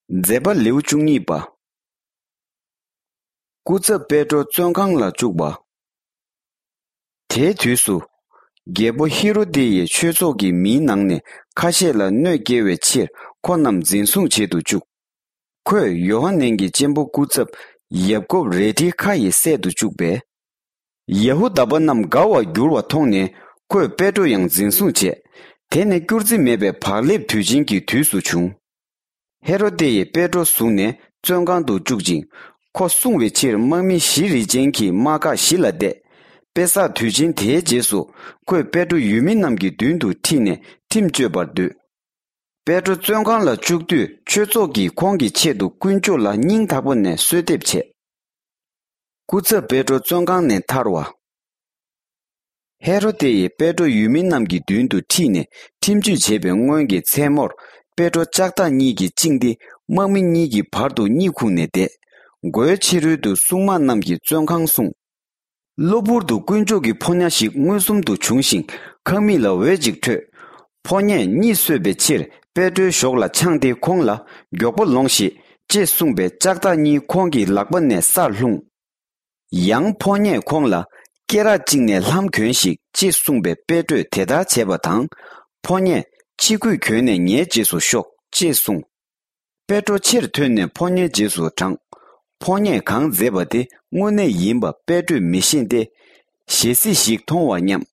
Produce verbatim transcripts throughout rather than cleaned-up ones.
མཛད་པ་ལེའུ་བཅུ་གཉིས་པ། སྐུ་ཚབ་པེ་ཏྲོ་བཙོན་ཁང་ལ་བཅུག་པ། དེའི་དུས་སུ། རྒྱལ་པོ་ཧེ་རོ་དེ་ཡིས་ཆོས་ཚོགས་ཀྱི་མིའི་ནང་ནས་ཁ་ཤས་ལ་གནོད་སྐྱེལ་བའི་ཕྱིར་ཁོ་རྣམས་འཛིན་བཟུང་བྱེད་དུ་བཅུག་ཁོས་ཡོ་ཧ་ནན་གྱི་གཅེན་པོ་སྐུ་ཚབ་ཡབ་ཀོབ་རལ་གྲིའི་ཁ་ཡིས་བསད་དུ་བཅུག་པས། ཡ་ཧུ་དཱ་པ་རྣམས་དགའ་བར་འགྱུར་བ་མཐོང་ནས་ཁོས་པེ་ཏྲོ་ཡང་འཛིན་བཟུང་བྱས། དེ་ནི་སྐྱུར་རྩི་མེད་པའི་བག་ལེབ་དུས་ཆེན་གྱི་དུས་སུ་བྱུང་། ཧེ་རོ་ཏེ་ཡིས་པེ་ཏྲོ་བཟུང་ནས་བཙོན་ཁང་དུ་བཅུག་ཅིང་། ཁོ་སྲུང་བའི་ཕྱིར་དམག་མི་བཞི་རིས་ཅན་གྱི་དམག་ཁག་བཞི་ལ་གཏད། པེ་སག་དུས་ཆེན་དེའི་རྗེས་སུ་ཁོས་པེ་ཏྲོ་ཡུལ་མི་རྣམས་ཀྱི་མདུན་དུ་ཁྲིད་ནས་ཁྲིམས་གཅོད་པར་འདོད། པེ་ཏྲོ་བཙོན་ཁང་ལ་བཅུག་དུས་ཆོས་ཚོགས་ཀྱིས་ཁོང་གི་ཆེད་དུ་དཀོན་མཆོག་ལ་སྙིང་ཐག་པ་ནས་གསོལ་འདེབས་བྱས། སྐུ་ཚབ་པེ་ཏྲོ་བཙོན་ཁང་ནས་ཐར་བ། ཧེ་རོ་ཏེ་ཡིས་པེ་ཏྲོ་ཡུལ་མི་རྣམས་ཀྱི་མདུན་དུ་ཁྲིད་ནས་ཁྲིམས་གཅོད་བྱས་པའི་སྔོན་གྱི་མཚན་མོར་པེ་ཏྲོ་ལྕགས་ཐག་གཉིས་ཀྱིས་བཅིངས་ཏེ། དམག་མི་གཉིས་ཀྱི་བར་དུ་གཉིད་ཁུག་ནས་བསྡད། མགོའི་ཕྱི་རོལ་དུ་སྲུང་དམག་རྣམས་ཀྱིས་བཙོན་ཁང་བསྲུངས། གློ་བུར་དུ་དཀོན་མཆོག་གི་ཕོ་ཉ་ཞིག་མངོན་སུམ་དུ་བྱུང་ཞིང་ཁང་མིག་ལ་འོད་ཅིག་འཕྲོས། ཕོ་ཉས་གཉིད་གསོད་པའི་ཕྱིར་པེ་ཏྲོའི་གཞོགས་ལ་འཆང་སྟེ་ཁོང་ལ་མགྱོགས་པོ་ལོངས་ཤིག་ཅེས་གསུངས་པས་ལྕགས་ཐག་གཉིས་ཁོང་གི་ལག་པ་ནས་སར་ལྷུང་། ཡང་ཕོ་ཉས་ཁོང་ལ་སྐེ་རགས་གཅིག་ནས་ལྷམ་གྱོན་ཞིག་ཅེས་གསུངས་པས་པེ་ཏྲོས་དེ་ལྟར་བྱས་པ་དང་། ཕོ་ཉས་ཕྱི་གོས་གྱོན་ནས་ངའི་རྗེས་སུ་ཤོག་ཅེས་གསུངས། པེ་ཏྲོ་ཕྱིར་ཐོན་ནས་ཕོ་ཉའི་རྗེས་སུ་འབྲངས། ཕོ་ཉས་གང་མཛད་པ་དེ་དངོས་གནས་ཡིན་པ་པེ་ཏྲོས་མི་ཤེས་ཏེ། ཞལ་གཟིགས་ཤིག་མཐོང་བར་སྙམ།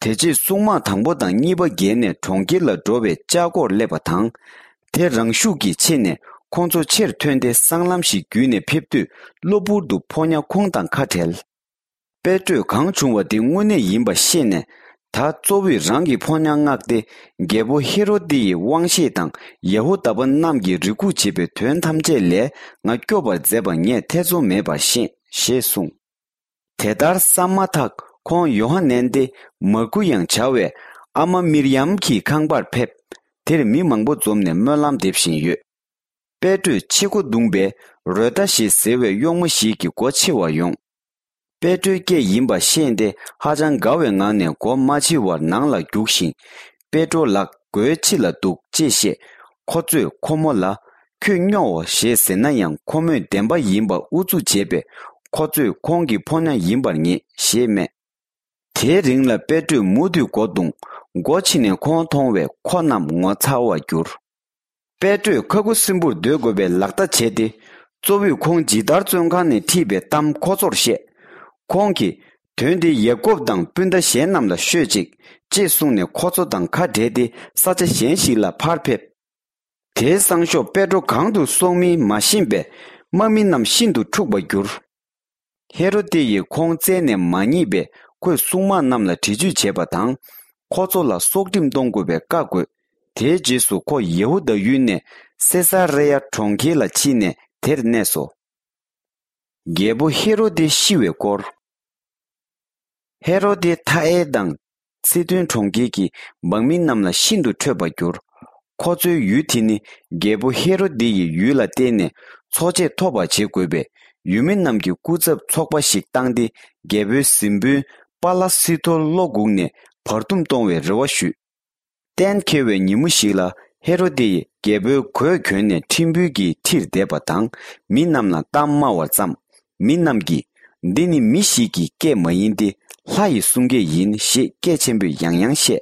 དེ་རྗེས་སྲུང་དམག་དང་པོ་དང་གཉིས་པ་བརྒལ་ནས་གྲོང་ཁྱེར་ལ་འགྲོ་བའི་ལྕགས་སྒོར་སླེབས་པ་དང་། དེ་རང་ཤུགས་ཀྱིས་ཕྱེ་ནས་ཁོང་ཚོ་ཕྱིར་ཐོན་ཏེ་སྲང་ལམ་ཞིག་བརྒྱུད་ནས་ཕེབས་དུས་གློ་བུར་དུ་ཕོ་ཉ་ཁོང་དང་ཁ་བྲལ། པེ་ཏྲོས་གང་བྱུང་བ་དེ་དངོས་གནས་ཡིན་པ་ཤེས་ནས། ད་གཙོ་བོས་རང་གི་ཕོ་ཉ་མངགས་ཏེ་རྒྱལ་པོ་ཧེ་རོ་དེ་ཡི་དབང་ཤེད་དང་ཡ་ཧུ་དཱ་པ་རྣམས་ཀྱིས་རེ་སྒུག་བྱེད་པའི་དོན་ཐམས་ཅད་ལས་ང་སྐྱོབ་པར་མཛད་པ་ངས་ཐེ་ཚོམ་མེད་པར་ཤེས་ཞེས་གསུངས། དེ་ལྟར་བསམ་མ་ཐག་ཁོང་ཡོ་ཧ་ནན་ཏེ་མར་ཀུ་ཡང་བྱ་བའི་ཨ་མ་མིར་ཡམ་གྱི་ཁང་པར་ཕེབས། དེར་མི་མང་པོ་འཛོམས་ནས་སྨོན་ལམ་འདེབས་བཞིན་ཡོད། པེ་ཏྲོས་ཕྱི་མགོ་བརྡུངས་པས་རོ་ཏ་ཞེས་ཟེར་བའི་གཡོག་མོ་ཞིག་གི་མགོ་ཕྱེ་བར་ཡོང་། པེ་ཏྲོའི་སྐད་ཡིན་པ་ཤེས་ཏེ་ཧ་ཅང་དགའ་བའི་ངང་ནས་མགོ་མ་ཕྱེ་བར་ནང་ལ་རྒྱུགས་ཤིང་། པེ་ཏྲོ་ལགས་མགོའི་ཕྱི་ལ་འདུག་ཅེས་བཤད། ཁོ་ཚོས་ཁོ་མོ་ལ། ཁྱོད་སྨྱོའོ་ཞེས་ཟེར་ན་ཡང་ཁོ་མོས་བདེན་པ་ཡིན་པ་ཨུ་ཚུགས་བྱས་པས་ཁོ་ཚོས་ཁོང་གི་ཕོ་ཉ་ཡིན་པར་ངེས་ཞེས་སྨྲས། དེའི་རིང་ལ་པེ་ཏྲོས་མུ་མཐུད་མགོ་བརྡུངས། མགོ་ཕྱེ་ནས་ཁོང་མཐོང་བས་ཁོ་རྣམས་ངོ་ཚ་བར་གྱུར། པེ་ཏྲོས་ཁ་ཁུ་སིམ་པོར་སྡོད་དགོས་པའི་ལག་བརྡ་བྱས་ཏེ། གཙོ་བོས་ཁོང་ཇི་ལྟར་བཙོན་ཁང་ནས་ཁྲིད་པའི་གཏམ་ཁོ་ཚོར་བཤད། ཁོང་གིས། དོན་འདི་ཡ་ཀོབ་དང་སྤུན་ཟླ་གཞན་རྣམས་ལ་ཤོད་ཅིག་ཅེས་གསུངས་ནས་ཁོ་ཚོ་དང་ཁ་བྲལ་ཏེ་ས་ཆ་གཞན་ཞིག་ལ་ཕར་ཕེབས། དེའི་སང་ཞོགས་པེ་ཏྲོ་གང་དུ་སོང་མིན་མ་ཤེས་པས་དམག་མི་རྣམས་ཤིན་ཏུ་འཁྲུགས་པར་གྱུར། ཧེ་རོ་ཏེ་ཡིས་ཁོང་བཙལ་ནས་མ་རྙེད་པས་ཁོས་སྲུང་དམག་རྣམས་ལ་འདྲི་གཅོད་བྱས་པ་དང་། ཁོ་ཚོ་ལ་སྲོག་ཁྲིམས་གཏོང་དགོས་པའི་བཀའ་བསྒོས། དེའི་རྗེས་སུ་ཁོ་ཡེ་ཧུ་དཱ་ཡུལ་ནས་སེ་ས་རེ་ཡ་གྲོང་ཁྱེར་ལ་ཕྱིན་ནས་དེར་གནས་སོ། རྒྱལ་པོ་ཧེ་རོ་ཏེ་ཤི་བའི་སྐོར། ཧེ་རོ་ཏེ་ཐ་ཨེ་དང་སི་དོན་གྲོང་ཁྱེར་གྱི་འབངས་མི་རྣམས་ལ་ཤིན་ཏུ་ཁྲོས་པར་གྱུར། ཁོ་ཚོའི་ཡུལ་དེ་ནི་རྒྱལ་པོ་ཧེ་རོ་ཏེ་ཡི་ཡུལ་ལ་བརྟེན་ནས་འཚོ་ཆས་ཐོབ་པར་བྱེད་དགོས་པས། ཡུལ་མི་རྣམས་ཀྱིས་སྐུ་ཚབ་ཚོགས་པ་ཞིག་བཏང་སྟེ། རྒྱལ་པོའི་གཟིམ་དཔོན་པཱ་ལ་སི་ཐོར་བློ་འགུག་ནས་བར་འདུམ་གཏོང་བའི་རེ་བ་ཞུས། གཏན་འཁེལ་བའི་ཉིན་མོ་ཞིག་ལ་ཧེ་རོ་ཏེ་ཡིས་རྒྱལ་པོའི་གོས་གྱོན་ནས་ཁྲིམས་དཔོན་གྱི་ཁྲིར་བསྡད་པ་དང་མི་རྣམས་ལ་གཏམ་སྨྲ་བར་བརྩམས། མི་རྣམས་ཀྱིས། འདི་ནི་མི་ཞིག་གི་སྐད་མ་ཡིན་ཏེ་ལྷ་ཡི་གསུང་སྐད་ཡིན་ཞེས་སྐད་ཆེན་པོས་ཡང་ཡང་བཤད།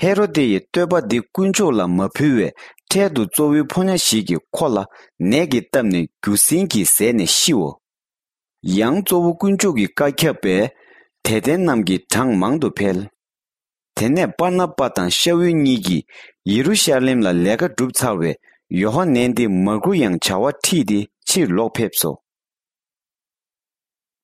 ཧེ་རོ་ཏེ་ཡིས་བསྟོད་པ་འདི་དཀོན་མཆོག་ལ་མ་ཕུལ་བས་འཕྲལ་དུ་གཙོ་བོའི་ཕོ་ཉ་ཞིག་གིས་ཁོ་ལ་ནད་ཀྱིས་བཏབ་ནས་རྒྱུ་སྲིན་གྱིས་ཟས་ནས་ཤིའོ། ཡང་གཙོ་བོ་དཀོན་མཆོག་གི་བཀའ་ཁྱབ་པས་དད་ལྡན་རྣམས་ཀྱི་གྲངས་མང་དུ་འཕེལ། དེ་ནས་པར་ན་པ་དང་ཤ་ཨུལ་གཉིས་ཀྱིས་ཡེ་རུ་ཤ་ལེམ་ལ་ལས་ཀ་བསྒྲུབས་ཚར་བས་ཡོ་ཧ་ནན་ཏེ་མར་ཁུ་ཡང་བྱ་བ་ཁྲིད་དེ་ཕྱིར་ལོག་ཕེབས་སོ།